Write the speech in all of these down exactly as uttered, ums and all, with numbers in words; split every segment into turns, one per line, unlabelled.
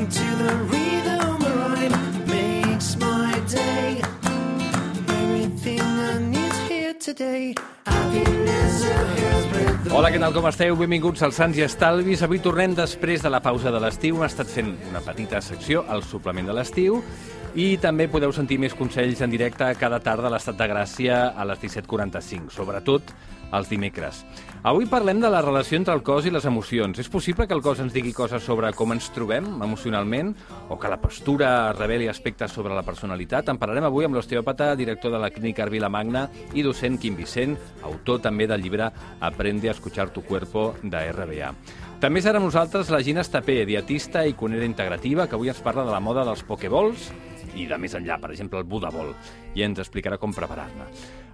Moving to the rhythm right makes my day. Everything I need here today. Happiness of hair's breadth.
Hola, què tal, com esteu? Benvinguts als Sants i Estalvis. Avui tornem després de la pausa de l'estiu. Hem estat fent una petita secció al suplement de l'estiu i també podeu sentir més consells en directe cada tarda a l'Estat de Gràcia a les disset quaranta-cinc, sobretot els dimecres. Avui parlem de la relació entre el cos i les emocions. És possible que el cos ens digui coses sobre com ens trobem emocionalment o que la postura reveli aspectes sobre la personalitat? En parlarem avui amb l'osteòpata, director de la Clínica Arvila-Magna i docent Quim Vicent, autor també del llibre Aprende a escuchar tu cuerpo de R B A. També serà amb nosaltres la Gina Estapé, dietista i cuinera integrativa, que avui ens parla de la moda dels pokeballs i de més enllà, per exemple, el Budabol, i ens explicarà com preparar-ne.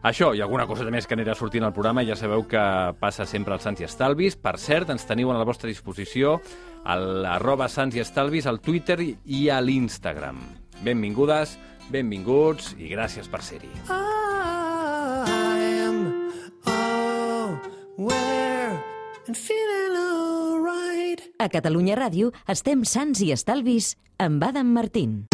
Això i alguna cosa més que anirà sortint al programa, ja sabeu que passa sempre als Sants i Estalvis. Per cert, ens teniu a la vostra disposició a l'arroba Sants i Estalvis, al Twitter i a l'Instagram. Benvingudes, benvinguts i gràcies per ser-hi.
I am aware and feeling alright.
A Catalunya Ràdio estem Sants i Estalvis amb Adam Martín.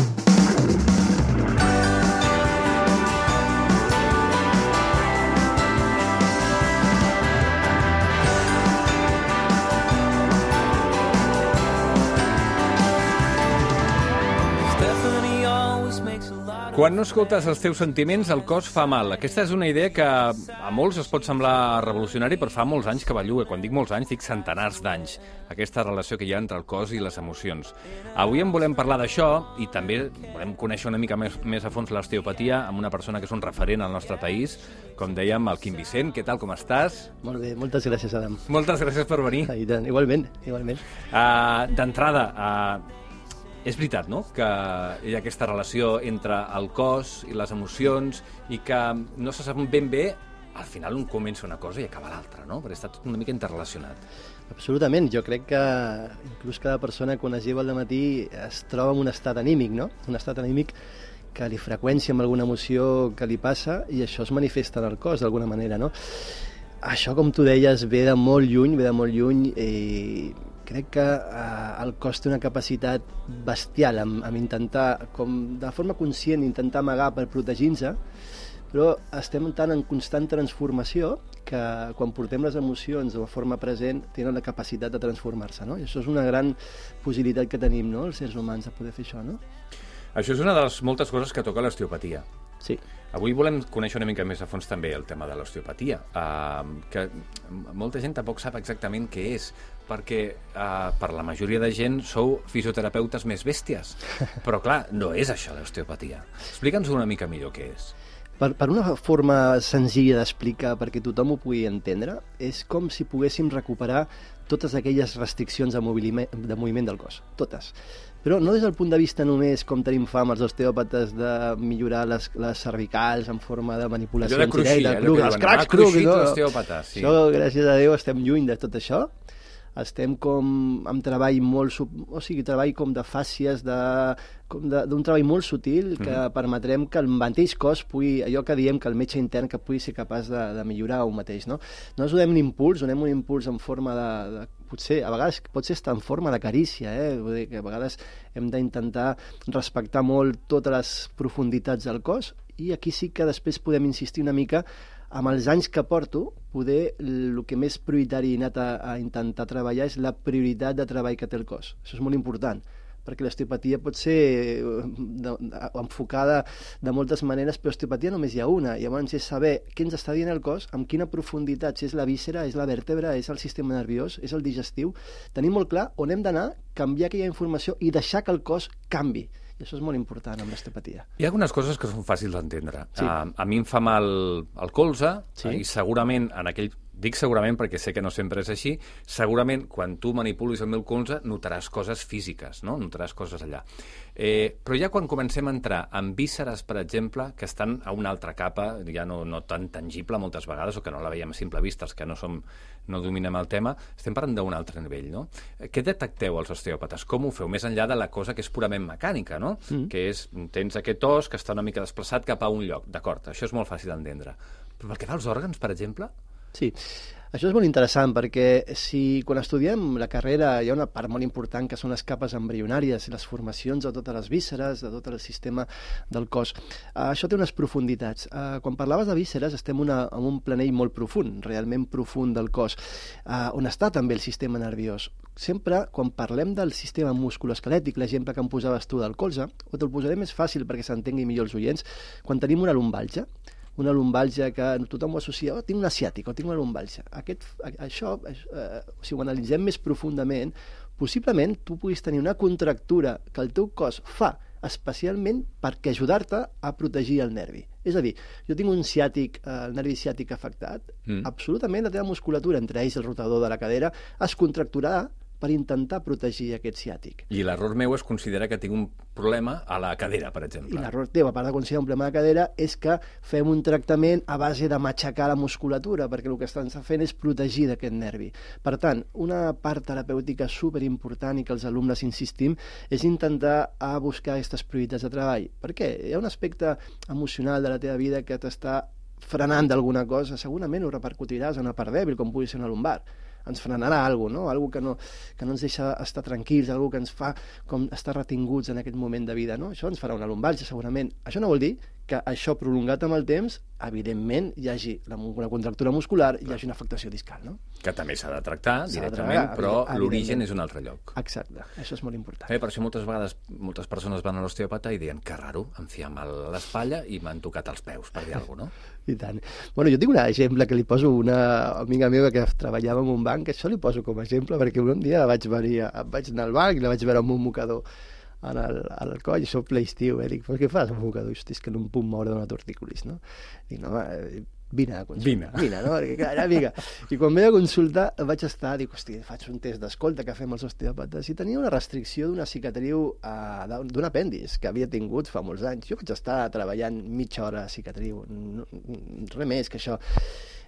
Quan no escoltes els teus sentiments, el cos fa mal. Aquesta és una idea que a molts es pot semblar revolucionari, però fa molts anys que belluga. Quan dic molts anys, dic centenars d'anys. Aquesta relació que hi ha entre el cos i les emocions. Avui en volem parlar d'això i també volem conèixer una mica més, més a fons l'osteopatia amb una persona que és un referent al nostre país, com dèiem, el Quim Vicent. Què tal, com estàs?
Molt bé, moltes gràcies, Adam.
Moltes gràcies per venir.
I tant, igualment, igualment.
Uh, D'entrada, uh, és veritat, no?, que hi ha aquesta relació entre el cos i les emocions i que no se sap ben bé, al final un comença una cosa i acaba l'altra, no?, perquè està tot una mica interrelacionat.
Absolutament, jo crec que inclús cada persona quan es lleva al matí es troba en un estat anímic, no?, un estat anímic que li freqüència amb alguna emoció que li passa i això es manifesta en el cos d'alguna manera, no? Això, com tu deies, ve de molt lluny, ve de molt lluny i crec que eh, el cos té una capacitat bestial amb, amb intentar, com de forma conscient, intentar amagar per protegir-se, però estem tan en constant transformació que quan portem les emocions de forma present tenen la capacitat de transformar-se, no? I això és una gran possibilitat que tenim, no?, els éssers humans, de poder fer això, no?
Això és una de les moltes coses que toca l'osteopatia.
Sí.
Avui volem conèixer una mica més a fons també el tema de l'osteopatia, uh, que molta gent tampoc sap exactament què és, perquè uh, per la majoria de gent sou fisioterapeutes més bèsties, però clar, no és això l'osteopatia. Explica'ns una mica millor què és.
Per, per una forma senzilla d'explicar perquè tothom ho pugui entendre, és com si poguéssim recuperar totes aquelles restriccions de moviment, de moviment del cos, totes. Però no des del punt de vista només, com tenim fama els osteòpates, de millorar les, les cervicals en forma de manipulacions
allò de cruixir,
directes,
allò que
els
diuen,
cracs
ha cruixit
no?
l'osteòpata, sí.
Això, gràcies a Déu, estem lluny de tot això. Estem com amb treball molt, sub... o sigui, treball com de fàcies, de... com d'un treball molt sutil que mm. permetrem que el mateix cos pugui, allò que diem que el metge intern que pugui ser capaç de, de millorar un mateix, no? No ens donem un impuls, donem un impuls en forma de, de potser, a vegades pot ser en forma de carícia, eh? Vull dir que a vegades hem d'intentar respectar molt totes les profunditats del cos i aquí sí que després podem insistir una mica amb els anys que porto, poder, el que més prioritari he anat a, a intentar treballar és la prioritat de treball que té el cos. Això és molt important, perquè l'osteopatia pot ser de, de, enfocada de moltes maneres, però l'osteopatia només hi ha una. Llavors és saber què ens està dient el cos, amb quina profunditat, si és la víscera, és la vèrtebra, és el sistema nerviós, és el digestiu. Tenim molt clar on hem d'anar, canviar aquella informació i deixar que el cos canvi. I això és molt important amb l'osteopatia.
Hi ha algunes coses que són fàcils d'entendre.
Sí.
A, a mi em fa mal el colze,
sí.
I segurament en aquell... Dic segurament perquè sé que no sempre és així. Segurament, quan tu manipulis el meu colze, notaràs coses físiques, no? Notaràs coses allà. Eh, però ja quan comencem a entrar en vísceres, per exemple, que estan a una altra capa, ja no, no tan tangible moltes vegades, o que no la veiem a simple vista, els que no, som, no dominem el tema, estem parlant d'un altre nivell, no? Què detecteu els osteòpates? Com ho feu? Més enllà de la cosa que és purament mecànica, no? Mm. Que és, tens aquest os que està una mica desplaçat cap a un lloc. D'acord, això és molt fàcil d'entendre. Però pel que fa als òrgans, per exemple,
Sí, això és molt interessant perquè si quan estudiem la carrera hi ha una part molt important que són les capes embrionàries, les formacions de totes les vísceres, de tot el sistema del cos. Uh, això té unes profunditats. Uh, quan parlaves de vísceres estem una, en un planell molt profund, realment profund del cos, uh, on està també el sistema nerviós. Sempre, quan parlem del sistema musculoesquelètic, l'exemple que em posaves tu del colze, o te'l posaré més fàcil perquè s'entengui millor els oients, quan tenim una lumbalgia, una lumbalgia que tothom ho associa, oh, tinc una ciàtica o tinc una lumbalgia. Aquest, això, eh, si ho analitzem més profundament, possiblement tu puguis tenir una contractura que el teu cos fa especialment perquè ajudar-te a protegir el nervi. És a dir, jo tinc un ciàtic, eh, el nervi ciàtic afectat, mm. absolutament la teva musculatura, entre ells el rotador de la cadera, es contracturarà per intentar protegir aquest ciàtic.
I l'error meu és considerar que tinc un problema a la cadera, per exemple.
I l'error teu, a part de considerar un problema de cadera, és que fem un tractament a base de matxacar la musculatura, perquè el que estan fent és protegir d'aquest nervi. Per tant, una part terapèutica superimportant i que els alumnes insistim és intentar a buscar aquestes prioritats de treball. Per què? Hi ha un aspecte emocional de la teva vida que t'està frenant d'alguna cosa, segurament ho repercutiràs en una part dèbil, com pugui ser una lumbar. Ens frenarà alguna cosa, no? Algo que no, que no ens deixa estar tranquils, algo que ens fa com estar retinguts en aquest moment de vida, no? Això ens farà una lumbalgia, segurament. Això no vol dir que això prolongat amb el temps, evidentment, hi hagi una contractura muscular, hi hagi una afectació discal, no?
Que també s'ha de tractar directament,
de tractar,
però l'origen és un altre lloc.
Exacte, això és molt important.
Eh, per això moltes vegades moltes persones van a l'osteòpata i diuen que raro, em fiem a l'espatlla i m'han tocat els peus, per dir alguna cosa, no?
I tant. Bueno, jo tinc un exemple que li poso a una amiga meva que treballava en un banc, que això li poso com a exemple, perquè un dia vaig venir, vaig anar al banc i la vaig veure amb un mocador en el, al coll, i soc ple estiu, eh? Dic, però què fas amb un mocador? Hosti, és que no em puc moure d'una tortícolis, no? Dic, no, home, vine a consultar. Vine. Vine, no? Perquè, clar, era amiga. I quan ve a consultar vaig estar, dic, hosti, faig un test d'escolta que fem els osteòpates i tenia una restricció d'una cicatriu, uh, d'un apèndix que havia tingut fa molts anys. Jo vaig estar treballant mitja hora a cicatriu, no, res més que això.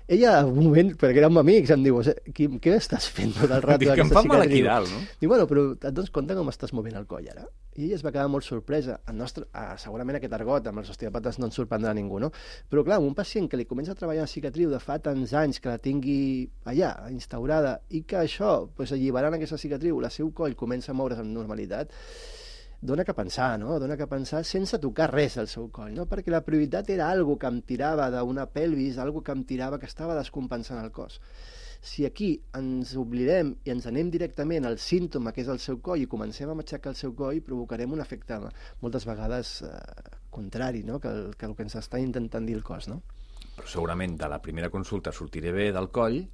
Ella, un moment, perquè érem amics, em diu, Quim, què estàs fent tot el rato?
Dic que em fa mal aquí dalt, no?
Dic, bueno, però et dones compte com estàs movent el coll ara? I ella es va quedar molt sorpresa. El nostre, ah, segurament aquest argot amb els osteòpates no ens sorprendrà a ningú, no? Però clar, un pacient que li comença a treballar en cicatriu de fa tants anys, que la tingui allà, instaurada, i que això, pues, alliberant aquesta cicatriu, la seu coll comença a moure's amb normalitat, dona que pensar, no? Dona que pensar sense tocar res al seu coll, no? Perquè la prioritat era algo que em tirava d'una pelvis, algo que em tirava, que estava descompensant el cos. Si aquí ens oblidem i ens anem directament al símptoma que és el seu coll i comencem a matxacar el seu coll, provocarem un efecte moltes vegades eh, contrari, no? Que el, que el que ens està intentant dir el cos, no?
Però segurament de la primera consulta sortiré bé del coll,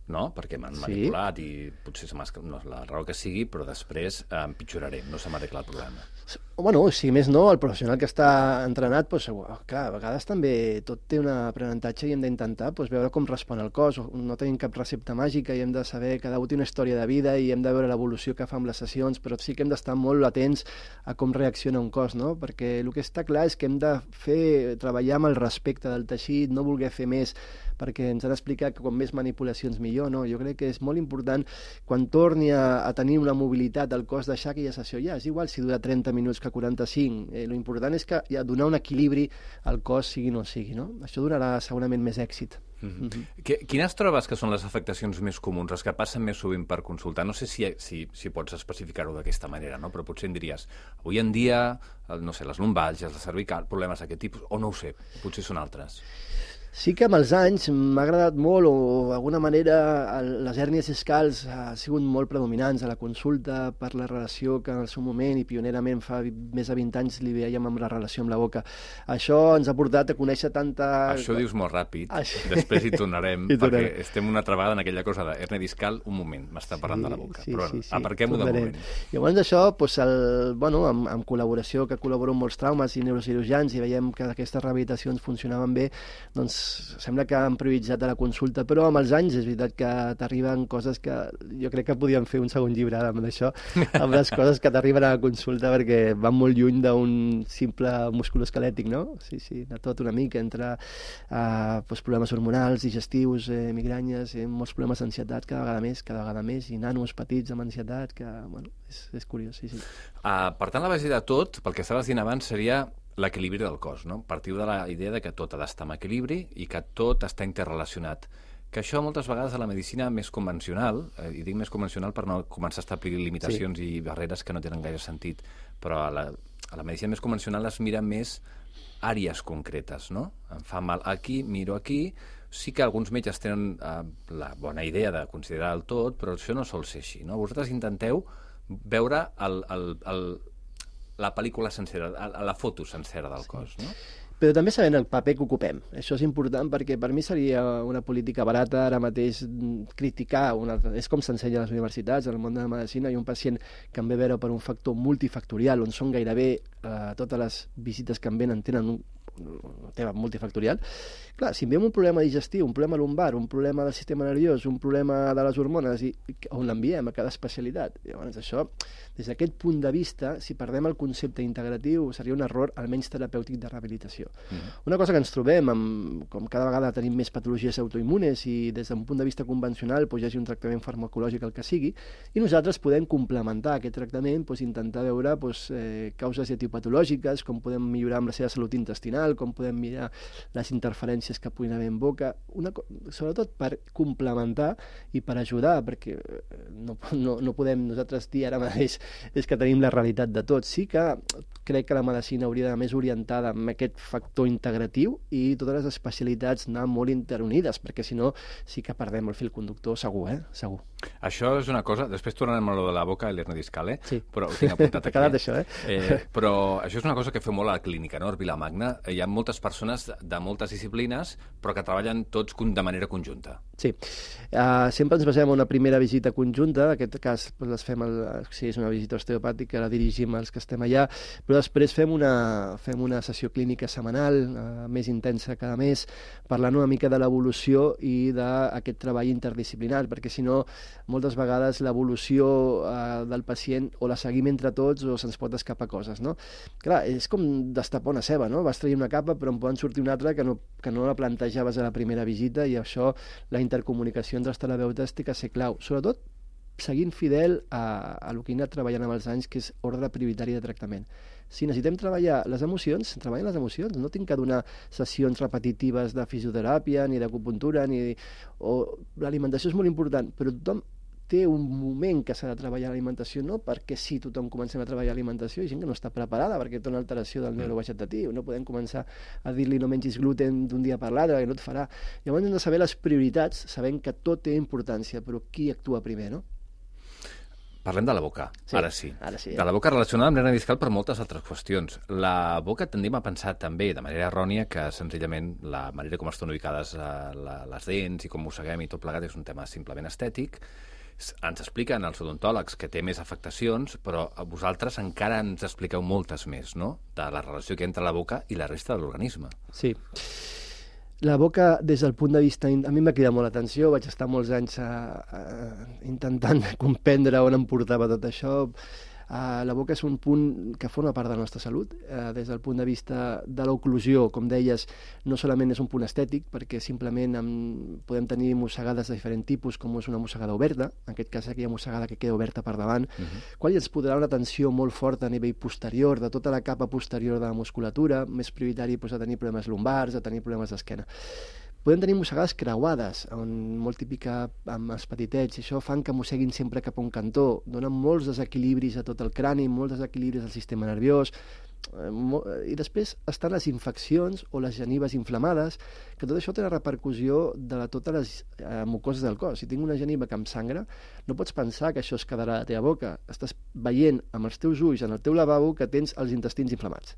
no? Perquè m'han sí. manipulat i potser no és la raó que sigui, però després eh, empitjoraré, no se m'arregla el problema.
Bueno, si més no, el professional que està entrenat, doncs, clar, a vegades també tot té un aprenentatge i hem d'intentar doncs, veure com respon el cos. No tenim cap recepta màgica i hem de saber, cada un té una història de vida i hem de veure l'evolució que fa amb les sessions, però sí que hem d'estar molt atents a com reacciona un cos, no? Perquè el que està clar és que hem de fer, treballar amb el respecte del teixit, no voler fer més, perquè ens han explicat que com més manipulacions millor, no? Jo crec que és molt important quan torni a, a tenir una mobilitat al cos deixar aquella sessió ja, és igual si dura trenta minuts que quaranta-cinc, eh, lo important és que ja donar un equilibri al cos sigui no sigui, no? Això donarà segurament més èxit.
Mm-hmm. Mm-hmm. Quines trobes que són les afectacions més comuns, les que passen més sovint per consultar? No sé si, si, si pots especificar-ho d'aquesta manera, no? Però potser em diries, avui en dia, no sé, les lumbalgies, la cervical, problemes d'aquest tipus, o no ho sé, potser són altres.
Sí que amb els anys m'ha agradat molt, o d'alguna manera les hèrnies discals han sigut molt predominants a la consulta per la relació que en el seu moment i pionerament fa més de vint anys li veiem amb la relació amb la boca. Això ens ha portat a conèixer tanta...
Això ho dius molt ràpid, Això... després hi tornarem, hi perquè estem una altra vegada en aquella cosa d'hèrnia discal, un moment, m'està parlant sí, de la boca, sí, però sí, sí, aparquem-ho de moment.
Llavors d'això, doncs el, bueno, amb, amb col·laboració, que col·laboro amb molts traumes i neurocirurgians i veiem que aquestes rehabilitacions funcionaven bé, doncs sembla que han prioritzat a la consulta, però amb els anys és veritat que t'arriben coses que jo crec que podíem fer un segon llibre amb això, amb les coses que t'arriben a la consulta perquè van molt lluny d'un simple musculoesquelètic, no? Sí, sí, de tot una mica, entre uh, doncs problemes hormonals, digestius, eh, migranyes, eh, molts problemes d'ansietat cada vegada més, cada vegada més, i nanos petits amb ansietat, que, bueno, és, és curiós, sí, sí.
Uh, per tant, la base de tot, pel que estaves dient abans, seria l'equilibri del cos, no? Partiu de la idea de que tot ha d'estar en equilibri i que tot està interrelacionat, que això moltes vegades a la medicina més convencional, eh, i dic més convencional per no començar a establir limitacions sí. i barreres que no tenen gaire sentit, però a la, a la medicina més convencional es mira més àrees concretes, no? Em fa mal aquí, miro aquí. Sí que alguns metges tenen eh, la bona idea de considerar el tot, però això no sol ser així, no? Vosaltres intenteu veure el, el, el, la pel·lícula sencera, la foto sencera del sí. cos, no?
Però també sabent el paper que ocupem. Això és important perquè per mi seria una política barata ara mateix criticar, una, és com s'ensenya a les universitats, en el món de la medicina, hi ha un pacient que em ve a veure per un factor multifactorial, on són gairebé eh, totes les visites que em venen tenen un, un tema multifactorial. Clar, si em ve un problema digestiu, un problema lumbar, un problema del sistema nerviós, un problema de les hormones, i, i on l'enviem a cada especialitat. Llavors, això, des d'aquest punt de vista, si perdem el concepte integratiu, seria un error, almenys terapèutic, de rehabilitació. Mm-hmm. Una cosa que ens trobem, amb, com cada vegada tenim més patologies autoimmunes i des d'un punt de vista convencional doncs, hi hagi un tractament farmacològic, el que sigui, i nosaltres podem complementar aquest tractament, doncs, intentar veure doncs, eh, causes etiopatològiques, com podem millorar amb la seva salut intestinal, com podem mirar les interferències que puguin haver en boca, una, sobretot per complementar i per ajudar, perquè no, no, no podem nosaltres dir ara mateix és que tenim la realitat de tot. Sí que crec que la medicina hauria d'anar més orientada amb aquest factor integratiu i totes les especialitats anar molt interunides, perquè si no sí que perdem el fil conductor, segur, eh? Segur.
Això és una cosa, després tornarem a lo de la boca i l'hernia discal, eh?
Sí.
Però ho tinc apuntat aquí.
T'ha quedat això, eh?
eh? Però això és una cosa que feu molt a la clínica, no? A Vilamagna hi ha moltes persones de moltes disciplines, però que treballen tots de manera conjunta.
Sí. Uh, sempre ens basem en una primera visita conjunta, en aquest cas doncs, les fem el, si és una visita osteopàtica, la dirigim als que estem allà, però després fem una, fem una sessió clínica setmanal, uh, més intensa cada mes, parlant una mica de l'evolució i d'aquest treball interdisciplinar, perquè si no, moltes vegades l'evolució uh, del pacient o la seguim entre tots o se'ns pot escapar coses, no? Clar, és com destapar una ceba, no? Vas traient una capa però en poden sortir una altra que no, que no la plantejaves a la primera visita, i això, la intercomunicació entre els terapeutes té que ser clau, sobretot seguint fidel a, a el que he anat treballant amb els anys, que és ordre prioritari de tractament. Si necessitem treballar les emocions, treballem les emocions. No tinc que donar sessions repetitives de fisioteràpia, ni d'acupuntura, ni... o l'alimentació és molt important, però tothom té un moment que s'ha de treballar l'alimentació, no perquè sí, tothom comencem a treballar l'alimentació, i gent que no està preparada perquè té una alteració del neurovegetatiu. No podem començar a dir-li no mengis gluten d'un dia per l'altre, que no et farà. Llavors hem de saber les prioritats, sabent que tot té importància, però qui actua primer, no?
Parlem de la boca,
sí,
ara sí.
Ara sí eh?
De la boca relacionada amb l'hernia discal per moltes altres qüestions. La boca tendim a pensar també, de manera errònia, que senzillament la manera com estan ubicades eh, la, les dents i com mosseguem i tot plegat és un tema simplement estètic. Ens expliquen els odontòlegs que té més afectacions, però vosaltres encara ens expliqueu moltes més, no?, de la relació que hi ha entre la boca i la resta de l'organisme.
Sí. La boca, des del punt de vista... A mi m'ha cridat molt l'atenció, vaig estar molts anys a, a, intentant comprendre on em portava tot això. Uh, la boca és un punt que forma part de la nostra salut, uh, des del punt de vista de l'oclusió, com deies, no solament és un punt estètic, perquè simplement amb, podem tenir mossegades de diferent tipus, com és una mossegada oberta, en aquest cas aquella mossegada que queda oberta per davant, uh-huh. qual ens podrà una tensió molt forta a nivell posterior, de tota la capa posterior de la musculatura, més prioritari doncs, a tenir problemes lumbars, a tenir problemes d'esquena. Podem tenir mossegades creuades, on, molt típica amb els petitets, i això fan que mosseguin sempre cap a un cantó, donen molts desequilibris a tot el crani, molts desequilibris al sistema nerviós, i després estan les infeccions o les genives inflamades, que tot això té la repercussió de la, totes les eh, mucoses del cos. Si tinc una geniva que em sangra, no pots pensar que això es quedarà a la teva boca. Estàs veient amb els teus ulls en el teu lavabo que tens els intestins inflamats,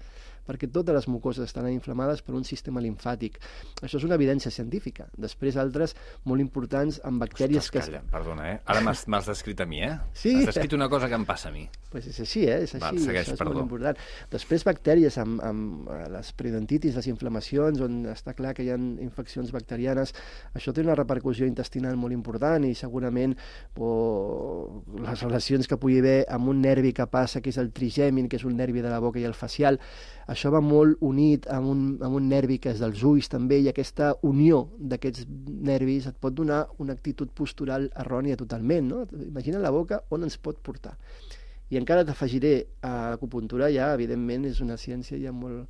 perquè totes les mucoses estan inflamades per un sistema limfàtic. Això és una evidència científica. Després altres molt importants amb bactèries...
Ostres, calla, que... perdona, eh? Ara m'has descrit a mi, eh?
Sí.
Has descrit una cosa que em passa a mi.
Pues és així, eh? És així.
Va, segueix,
això és
perdó.
molt important. Després bactèries amb, amb les periodontitis, les inflamacions, on està clar que hi ha infeccions bacterianes. Això té una repercussió intestinal molt important i segurament o, les relacions que pugui haver amb un nervi que passa, que és el trigèmin, que és un nervi de la boca, i el facial. Això va molt unit amb un, amb un nervi que és dels ulls també, i aquesta unió d'aquests nervis et pot donar una actitud postural errònia totalment, no? Imagina la boca on ens pot portar. I encara t'afegiré a l'acupuntura, ja, evidentment, és una ciència ja molt,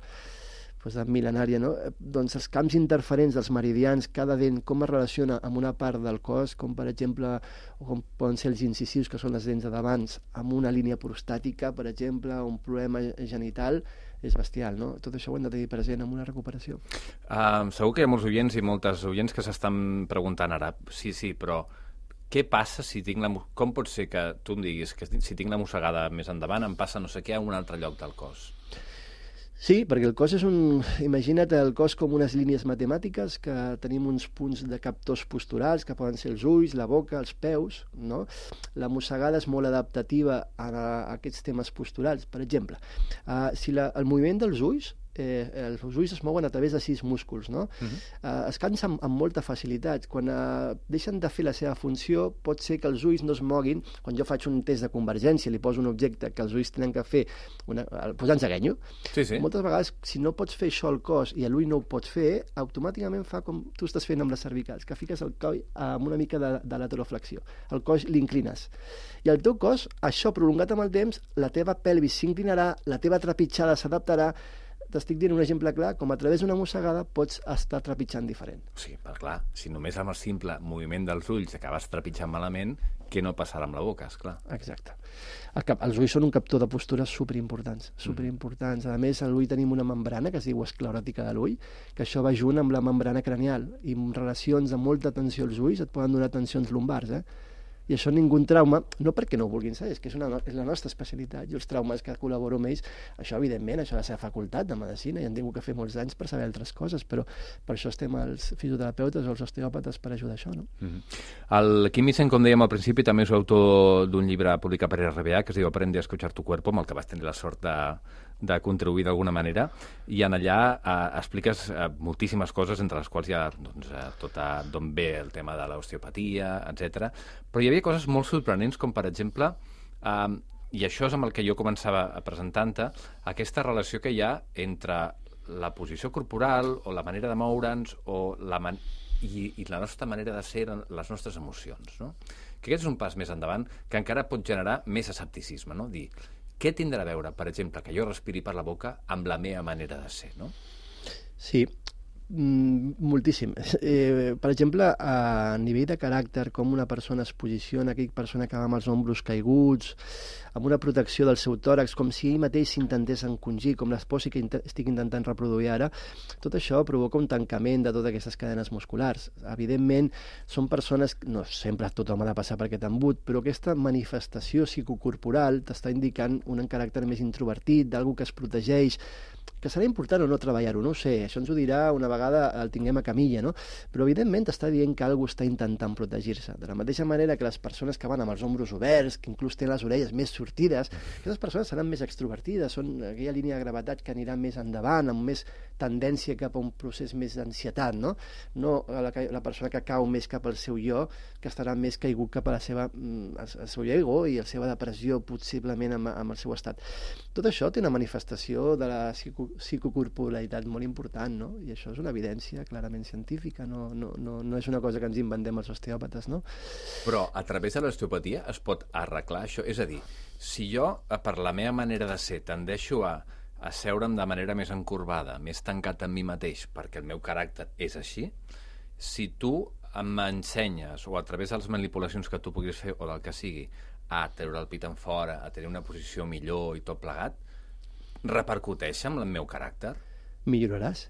pues, de mil·lenària, no? Doncs els camps interferents dels meridians, cada dent, com es relaciona amb una part del cos, com per exemple, o com poden ser els incisius, que són les dents de davant, amb una línia prostàtica, per exemple, un problema genital, és bestial, no? Tot això ho hem de tenir present en una recuperació.
Uh, segur que hi ha molts oients i moltes oients que s'estan preguntant ara, sí, sí, però què passa si tinc la... Com pot ser que tu em diguis que si tinc la mossegada més endavant em passa no sé què a un altre lloc del cos?
Sí, perquè el cos és un... Imagina't el cos com unes línies matemàtiques, que tenim uns punts de captors posturals, que poden ser els ulls, la boca, els peus, no? La mossegada és molt adaptativa a, a aquests temes posturals. Per exemple, uh, si la, el moviment dels ulls, eh, els ulls es mouen a través de sis músculs, no? Uh-huh. uh, es cansen amb, amb molta facilitat. Quan uh, deixen de fer la seva funció, pot ser que els ulls no es moguin. Quan jo faig un test de convergència, li poso un objecte que els ulls tenen que fer, una, posant-se ganyo,
sí, sí.
moltes vegades, si no pots fer això al cos i a l'ull no ho pots fer, automàticament fa com tu estàs fent amb les cervicals, que fiques el coll amb una mica de, de lateroflexió. El cos l'inclines. I el teu cos, això prolongat amb el temps, la teva pelvis s'inclinarà, la teva trepitjada s'adaptarà. T'estic dient un exemple clar, com a través d'una mossegada pots estar trepitjant diferent.
Sí, però clar, si només amb el simple moviment dels ulls acabes trepitjant malament, què no passarà amb la boca, esclar.
Exacte. El cap, els ulls són un captor de postures superimportants, superimportants. A més, a l'ull tenim una membrana que es diu escleròtica de l'ull, que això va junt amb la membrana cranial, i en relacions amb molta tensió als ulls et poden donar tensions lumbars, eh? I això ningú trauma, no perquè no ho vulguin saber, és que és, una, és la nostra especialitat. Jo els traumes que col·laboro amb ells, això evidentment, això ha de ser facultat de medicina, i han tingut que fer molts anys per saber altres coses, però per això estem els fisioterapeutes o els osteòpates per ajudar això, no?
Mm-hmm. El Quim Vicent, com dèiem al principi, també és autor d'un llibre publicat per R B A que es diu Aprende a escuchar tu cuerpo, amb el que vas tenir la sort de, de contribuir d'alguna manera, i en allà eh, expliques eh, moltíssimes coses, entre les quals hi ha doncs, eh, tota d'on ve el tema de l'osteopatia, etcètera. Però hi havia coses molt sorprenents, com per exemple, eh, i això és amb el que jo començava a presentar-te, aquesta relació que hi ha entre la posició corporal o la manera de moure'ns o la man i, i la nostra manera de ser, les nostres emocions, no? Que aquest és un pas més endavant que encara pot generar més escepticisme, no? Dir, què tindrà a veure, per exemple, que jo respiri per la boca amb la meva manera de ser, no?
Sí, mm, moltíssim. Eh, per exemple, a nivell de caràcter, com una persona es posiciona, aquella persona que va amb els ombros caiguts, amb una protecció del seu tòrax, com si ell mateix s'intentés encongir, com l'esposi que int estic intentant reproduir ara, tot això provoca un tancament de totes aquestes cadenes musculars. Evidentment, són persones, no sempre tothom ha de passar per aquest embut, però aquesta manifestació psicocorporal t'està indicant un caràcter més introvertit, d'algú que es protegeix, que serà important o no treballar-ho, no ho sé, això ens ho dirà una vegada el tinguem a camilla, no? Però evidentment t'està dient que algú està intentant protegir-se. De la mateixa manera que les persones que van amb els ombros oberts, que inclús tenen les orelles més sortides, aquestes persones seran més extrovertides, són aquella línia de gravetat que anirà més endavant, amb més tendència cap a un procés més d'ansietat, no? No la, la persona que cau més cap al seu jo, que estarà més caigut cap a la seva, el seu ego i la seva depressió, possiblement amb, amb el seu estat. Tot això té una manifestació de la psico psicocorporalitat molt important, no? I això és una evidència clarament científica, no, no, no, no és una cosa que ens inventem els osteòpates, no?
Però a través de l'osteopatia es pot arreglar això? És a dir, si jo, per la meva manera de ser, tendeixo a, a seure'm de manera més encorbada, més tancat en mi mateix, perquè el meu caràcter és així, si tu m'ensenyes, o a través de les manipulacions que tu puguis fer, o del que sigui, a treure el pit en fora, a tenir una posició millor i tot plegat, repercuteix amb el meu caràcter?
Milloraràs,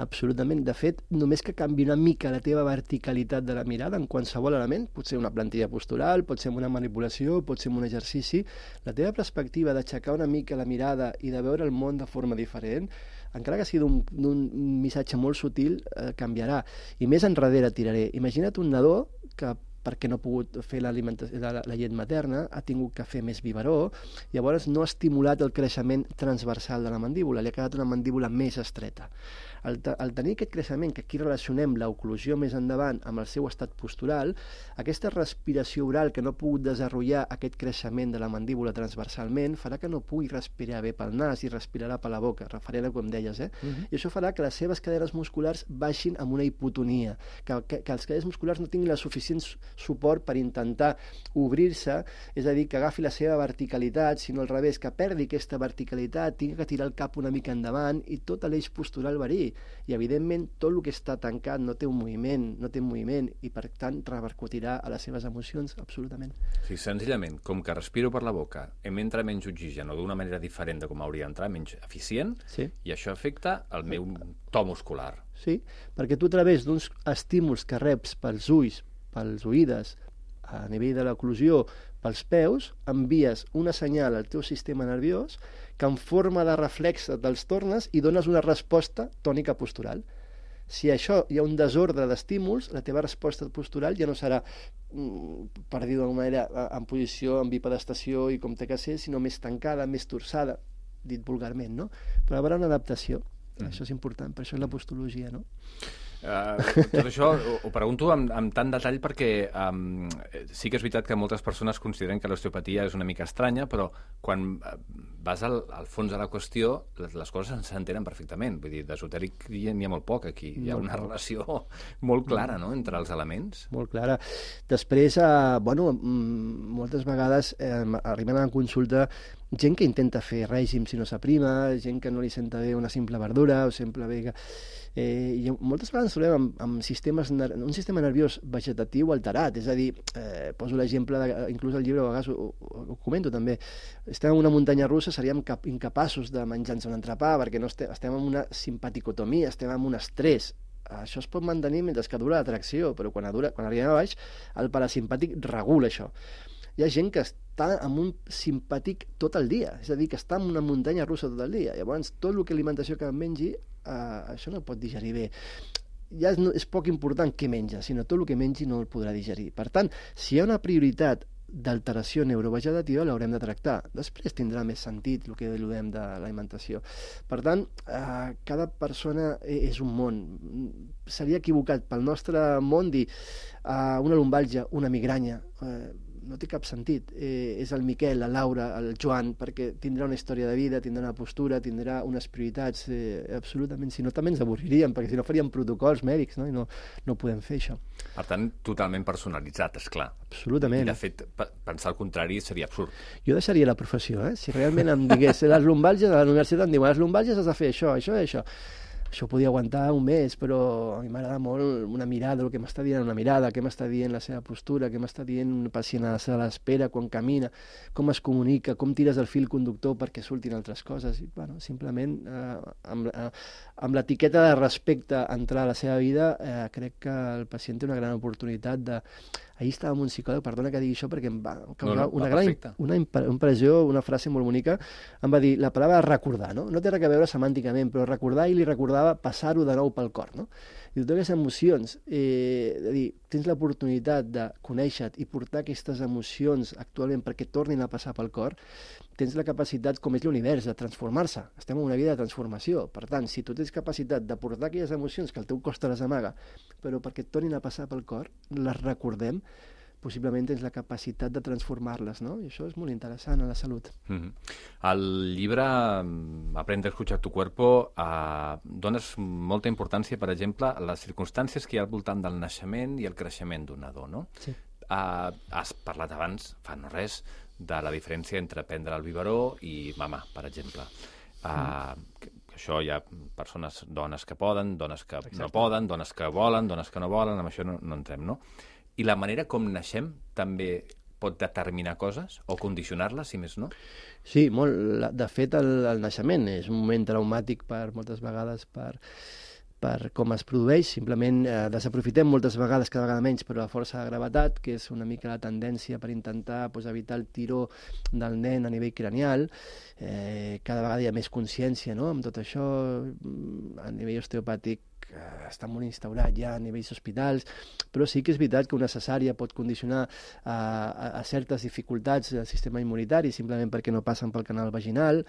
absolutament. De fet, només que canvi una mica la teva verticalitat de la mirada en qualsevol element, pot ser una plantilla postural, pot ser una manipulació, pot ser un exercici, la teva perspectiva d'aixecar una mica la mirada i de veure el món de forma diferent, encara que sigui d'un missatge molt sutil, eh, canviarà. I més enrere tiraré. Imagina't un nadó que perquè no ha pogut fer la, la, la llet materna, ha tingut que fer més biberó, llavors no ha estimulat el creixement transversal de la mandíbula, li ha quedat una mandíbula més estreta. Al, al tenir aquest creixement, que aquí relacionem l'oclusió més endavant amb el seu estat postural, aquesta respiració oral que no ha pogut desenvolupar aquest creixement de la mandíbula transversalment farà que no pugui respirar bé pel nas i respirarà per la boca, referent a com deies, eh? Uh-huh. I això farà que les seves cadenes musculars baixin amb una hipotonia, que, que, que els cadenes musculars no tinguin la suficient suport per intentar obrir-se, és a dir, que agafi la seva verticalitat, sinó al revés, que perdi aquesta verticalitat, tingui que tirar el cap una mica endavant i tot l'eix postural varia. I, evidentment, tot el que està tancat no té un moviment, no té un moviment i, per tant, repercutirà a les seves emocions, absolutament.
Sí, senzillament, com que respiro per la boca, em entra menys oxigen o d'una manera diferent de com hauria d'entrar, menys eficient,
sí.
I això afecta el meu to muscular.
Sí, perquè tu a través d'uns estímuls que reps pels ulls, pels oïdes, a nivell de l'oclusió, pels peus, envies una senyal al teu sistema nerviós que en forma de reflex te'ls tornes i dones una resposta tònica postural. Si això hi ha un desordre d'estímuls, la teva resposta postural ja no serà, per dir d'alguna manera, en posició, en bipedestació i com té que ser, sinó més tancada, més torçada, dit vulgarment, no? Però hi haurà una adaptació. Mm. Això és important, per això és la postologia, no?
Uh, tot això ho, ho pregunto amb, amb tant detall perquè um, sí que és veritat que moltes persones consideren que l'osteopatia és una mica estranya, però quan vas al, al fons de la qüestió les, les coses s'entenen perfectament. Vull dir, d'esotèric n'hi ha molt poc aquí. Hi ha una relació molt clara, no?, entre els elements.
Molt clara. Després, eh, bueno, moltes vegades eh, arriben a la consulta gent que intenta fer règim si no s'aprima, gent que no li senta bé una simple verdura o sempre bé que... Eh, i moltes vegades ens trobem amb, amb sistemes, un sistema nerviós vegetatiu alterat, és a dir, eh, poso l'exemple, de, inclús al llibre a vegades ho, ho, ho comento també, estem en una muntanya russa, seríem cap, incapaços de menjar-nos un entrepà perquè no estem, estem en una simpaticotomia, estem en un estrès. Això es pot mantenir mentre que dura l'atracció, però quan, dura, quan arribem a baix el parasimpàtic regula això. Hi ha gent que està en un simpàtic tot el dia, és a dir, que està en una muntanya russa tot el dia. Llavors, tot el que alimentació que mengi, eh, això no pot digerir bé. Ja és, no, és poc important què menja, sinó tot el que mengi no el podrà digerir. Per tant, si hi ha una prioritat d'alteració neurovegetativa, l'haurem de tractar. Després tindrà més sentit el que diem de l'alimentació. Per tant, eh, cada persona és un món. Seria equivocat pel nostre món dir eh, una lumbàlgia, una migranya, eh, no té cap sentit. Eh, és el Miquel, la Laura, el Joan, perquè tindrà una història de vida, tindrà una postura, tindrà unes prioritats, eh, absolutament. Si no, també ens avorriríem, perquè si no faríem protocols mèdics, no? I no, no podem fer això.
Per tant, totalment personalitzat, esclar.
Absolutament.
I, de fet, pensar el contrari seria absurd.
Jo deixaria la professió, eh? Si realment em digués, les lumbàlgies, a la universitat em diuen, les lumbàlgies has de fer això, això i això. Això ho podia aguantar un mes, però a mi m'agrada molt una mirada, el que m'està dient una mirada, què m'està dient la seva postura, què m'està dient un pacient a la sala d'espera quan camina, com es comunica, com tires el fil conductor perquè surtin altres coses. I, bueno, simplement, eh, amb, eh, amb l'etiqueta de respecte a entrar a la seva vida, eh, crec que el pacient té una gran oportunitat de... Ahir estava amb un psicòleg, perdona que digui això, perquè em va causar no, no, una gran una impressió, una frase molt bonica, em va dir la paraula recordar, no? No té res a veure semànticament, però recordar i li recordava passar-ho de nou pel cor, no? I totes aquestes emocions, eh, de dir, tens l'oportunitat de conèixer-te i portar aquestes emocions actualment perquè tornin a passar pel cor, tens la capacitat, com és l'univers, de transformar-se. Estem en una vida de transformació. Per tant, si tu tens capacitat de portar aquelles emocions que el teu cos te les amaga, però perquè et tornin a passar pel cor, les recordem, possiblement tens la capacitat de transformar-les, no? I això és molt interessant a la salut.
Mm-hmm. Al llibre Aprende a escuchar tu cuerpo eh, dones molta importància, per exemple, a les circumstàncies que hi ha al voltant del naixement i el creixement d'un nadó, no?
Sí.
Eh, has parlat abans, fa no res, de la diferència entre prendre el biberó i mamar, per exemple. Eh, mm. Això hi ha persones, dones que poden, dones que Exacte. no poden, dones que volen, dones que no volen, amb això no, no entrem, no? I la manera com naixem també pot determinar coses o condicionar-les, si més no?
Sí, molt. De fet, el, el naixement és un moment traumàtic per moltes vegades per, per com es produeix. Simplement eh, desaprofitem moltes vegades, cada vegada menys, però la força de gravetat, que és una mica la tendència per intentar pues, evitar el tiró del nen a nivell cranial. Eh, cada vegada hi ha més consciència, no?, amb tot això. A nivell osteopàtic està molt instaurat ja a nivells hospitals, però sí que és veritat que una cesària pot condicionar a, a, a certes dificultats del sistema immunitari, simplement perquè no passen pel canal vaginal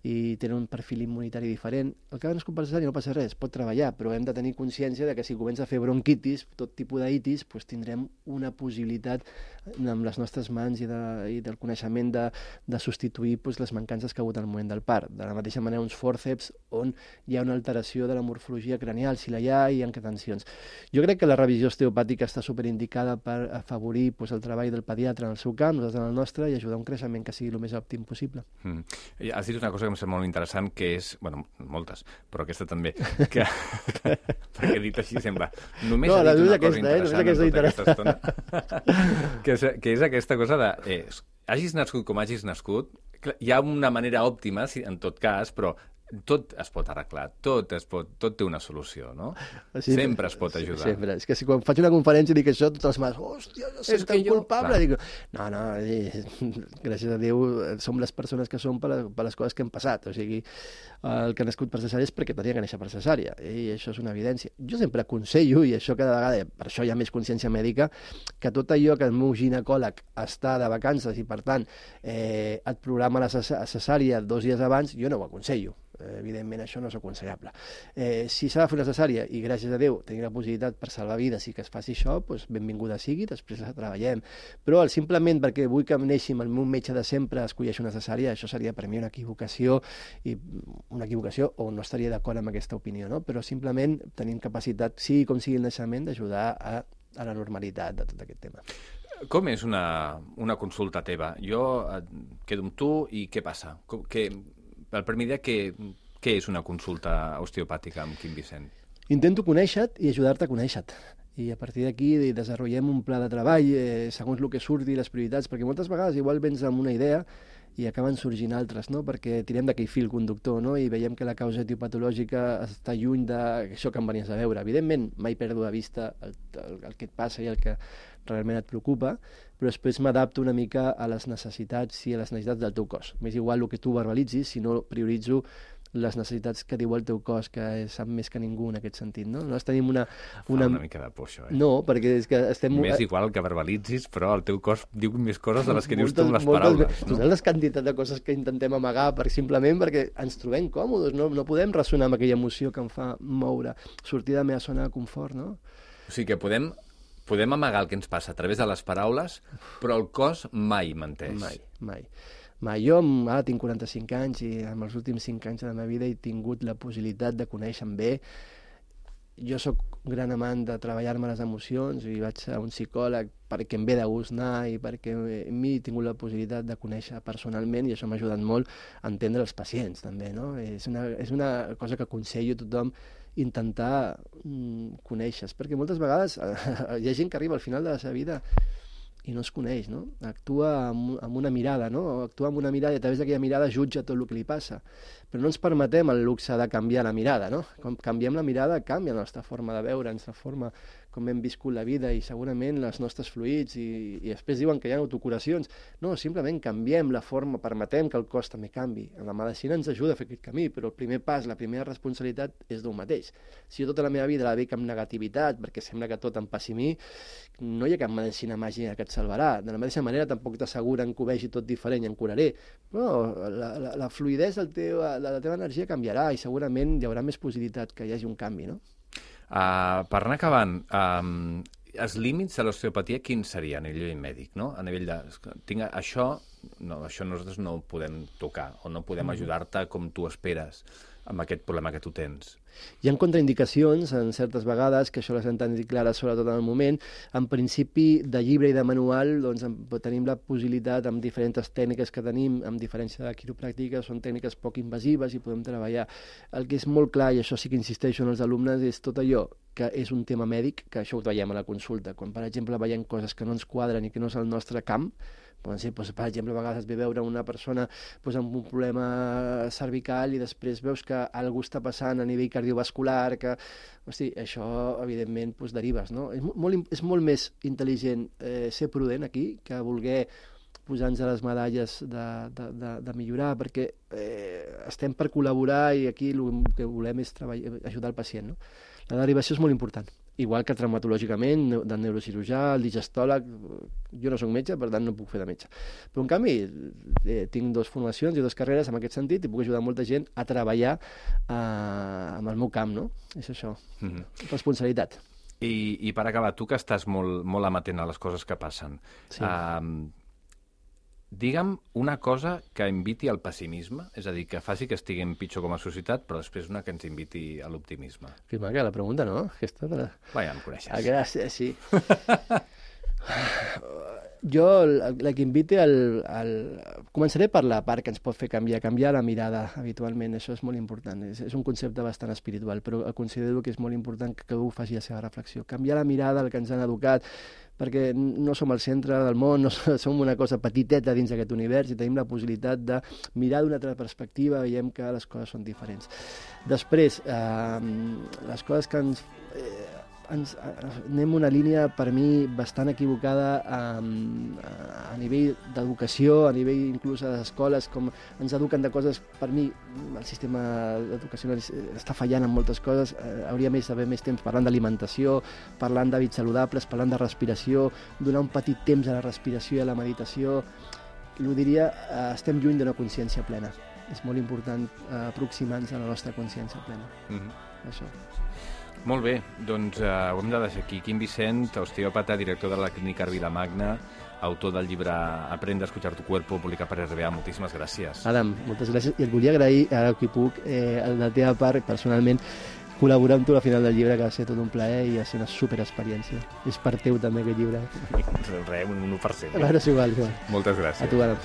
i tenen un perfil immunitari diferent. El que no és per cesària no passa res, pot treballar, però hem de tenir consciència de que si comença a fer bronquitis, tot tipus d'itis, doncs tindrem una possibilitat amb les nostres mans i, de, i del coneixement de, de substituir doncs, les mancances que ha hagut al moment del part. De la mateixa manera, uns fòrceps on hi ha una alteració de la morfologia cranial, si si la hi ha i en què tensions. Jo crec que la revisió osteopàtica està superindicada per afavorir pues, el treball del pediatre en el seu camp, nosaltres en el nostre, i ajudar a un creixement que sigui el més òptim possible.
Mm. Has dit una cosa que em sembla molt interessant, que és, bueno, moltes, però aquesta també, que, perquè dit així sembla, només
no,
ha dit una
aquesta,
cosa
eh?
interessant
aquesta
en tota aquesta estona, que és, que és aquesta cosa de, eh, hagis nascut com hagis nascut, hi ha una manera òptima, en tot cas, però tot es pot arreglar, tot, es pot, tot té una solució, no? Sí, sempre es pot ajudar.
Sempre. És que si quan faig una conferència dic això, tots els mares, hòstia, jo soc tan
jo...
culpable. Dic, no, no, gràcies a Déu som les persones que som per, per les coses que hem passat. O sigui, el que ha nascut per cesària és perquè tenia que néixer per cesària, i això és una evidència. Jo sempre aconsello, i això cada vegada, per això hi ha més consciència mèdica, que tot allò que el meu ginecòleg està de vacances i, per tant, eh, et programa la cesària dos dies abans, jo no ho aconsello. Evidentment això no és aconsellable. Eh, si s'ha de fer una cesària i gràcies a Déu tenir la possibilitat per salvar vides i que es faci això, doncs benvinguda sigui, després la treballem. Però simplement perquè vull que neixi amb el meu metge de sempre escolleixi una cesària, això seria per mi una equivocació, i una equivocació o no estaria d'acord amb aquesta opinió, no? Però simplement tenim capacitat, sigui com sigui el naixement, d'ajudar a, a la normalitat de tot aquest tema.
Com és una, una consulta teva? Jo quedo amb tu i què passa? Com, que... El primer dia, què, què és una consulta osteopàtica amb Quim Vicent?
Intento conèixer-te i ajudar-te a conèixer-te. I a partir d'aquí desenvolupem un pla de treball eh, segons el que surti, les prioritats, perquè moltes vegades igual vens amb una idea i acaben sorgint altres, no? Perquè tirem d'aquell fil conductor, no? I veiem que la causa etiopatològica està lluny d'això que em venies a veure. Evidentment, mai perdo de vista el, el, el que et passa i el que realment et preocupa, però després m'adapto una mica a les necessitats i a les necessitats del teu cos. M'és igual el que tu verbalitzis, si no prioritzo les necessitats que diu el teu cos, que sap més que ningú en aquest sentit, no? Nosaltres tenim una... una...
Fa una mica de por, això, eh?
No, perquè és que estem...
M'és igual que verbalitzis, però el teu cos diu més coses de les que dius
moltes,
tu amb les
moltes,
paraules.
No? Totes les quantitats de coses que intentem amagar per, simplement perquè ens trobem còmodes, no, no podem ressonar amb aquella emoció que em fa moure, sortir de la meva zona de confort, no?
O sigui que podem... Podem amagar el que ens passa a través de les paraules, però el cos mai menteix.
Mai, mai. mai. Jo ara tinc quaranta-cinc anys i en els últims cinc anys de la meva vida he tingut la possibilitat de conèixer-me bé. Jo sóc un gran amant de treballar-me les emocions i vaig a un psicòleg perquè em ve de gust anar i perquè a mi he tingut la possibilitat de conèixer personalment i això m'ha ajudat molt a entendre els pacients també, no? És una, és una cosa que aconsello a tothom intentar mm, conèixer, perquè moltes vegades eh, hi ha gent que arriba al final de la seva vida i no es coneix, no? Actua amb, amb una mirada, no? Actua amb una mirada i a través d'aquella mirada jutja tot el que li passa. Però no ens permetem el luxe de canviar la mirada, no? Quan canviem la mirada canvia la nostra forma de veure, la nostra forma com hem viscut la vida i segurament els nostres fluids i, i després diuen que hi ha autocuracions. No, simplement canviem la forma, permetem que el cos també canvi. La medicina ens ajuda a fer aquest camí, però el primer pas, la primera responsabilitat és d'un mateix. Si jo tota la meva vida la veig amb negativitat, perquè sembla que tot em passi a mi, no hi ha cap medicina màgica que et salvarà. De la mateixa manera tampoc t'asseguren que ho vegi tot diferent i em curaré. Però la, la, la fluidesa del teu, de la teva energia canviarà i segurament hi haurà més possibilitat que hi hagi un canvi, no?
Uh, per anar acabant, um, els límits de l'osteopatia quins serien a nivell mèdic, no? A nivell de... Tinc això, no, això nosaltres no ho podem tocar o no podem ajudar-te com tu esperes amb aquest problema que tu tens.
Hi ha contraindicacions en certes vegades, que això les hem tenit clares sobretot en el moment. En principi, de llibre i de manual, doncs, tenim la possibilitat amb diferents tècniques que tenim, amb diferència de quiropràctica, són tècniques poc invasives i podem treballar. El que és molt clar, i això sí que insisteixo en els alumnes, és tot allò que és un tema mèdic, que això ho veiem a la consulta. Quan, per exemple, veiem coses que no ens quadren i que no és el nostre camp, poden ser, doncs, per exemple, a vegades et ve veure una persona doncs, amb un problema cervical i després veus que algú està passant a nivell cardiovascular, que, hosti, això, evidentment, doncs, derives, no? És molt, és molt més intel·ligent eh, ser prudent aquí que voler posar-nos a les medalles de, de, de, de millorar, perquè eh, estem per col·laborar i aquí el que volem és treballar, ajudar el pacient, no? La derivació és molt important. Igual que traumatològicament, del neurocirurgià, el digestòleg, jo no soc metge, per tant no puc fer de metge. Però en canvi eh, tinc dues formacions i dues carreres en aquest sentit i puc ajudar molta gent a treballar eh, amb el meu camp, no? És això, mm-hmm. Responsabilitat.
I, I per acabar, tu que estàs molt, molt amatent a les coses que passen, sí. eh, digue'm una cosa que inviti al pessimisme, és a dir, que faci que estiguem pitjor com a societat, però després una que ens inviti a l'optimisme.
Que maca la pregunta, no? Aquesta de...
Va, ja em coneixes.
Aquesta, sí. Jo, la, la que inviti al, al... Començaré per la part que ens pot fer canviar, canviar la mirada habitualment, això és molt important. És, és un concepte bastant espiritual, però considero que és molt important que cadascú faci la seva reflexió. Canviar la mirada al que ens han educat, perquè no som el centre del món, no som una cosa petiteta dins d'aquest univers i tenim la possibilitat de mirar d'una altra perspectiva, veiem que les coses són diferents. Després, eh, les coses que ens... Eh, ens anem una línia, per mi, bastant equivocada a, a nivell d'educació, a nivell inclús a les escoles, com ens eduquen de coses, per mi, el sistema educacional està fallant en moltes coses, eh, hauria més d'haver més temps parlant d'alimentació, parlant d'hàbits saludables, parlant de respiració, donar un petit temps a la respiració i a la meditació. Ho diria, eh, estem lluny d'una consciència plena. És molt important eh, aproximar-nos a la nostra consciència plena. Mm-hmm. Això.
Molt bé, doncs eh, ho hem de deixar aquí. Quim Vicent, osteòpata, director de la Clínica Vilamagna, autor del llibre Aprende a escuchar tu cuerpo, publicat per R B A. Moltíssimes gràcies.
Adam, moltes gràcies. I et volia agrair, ara que puc, eh, de la teva part, personalment, col·laborar amb tu a la final del llibre, que va ser tot un plaer i va ser una superexperiència. És per teu també aquest llibre.
Res, un u per cent.
A veure, és igual, igual.
Moltes gràcies.
A tu, Adam.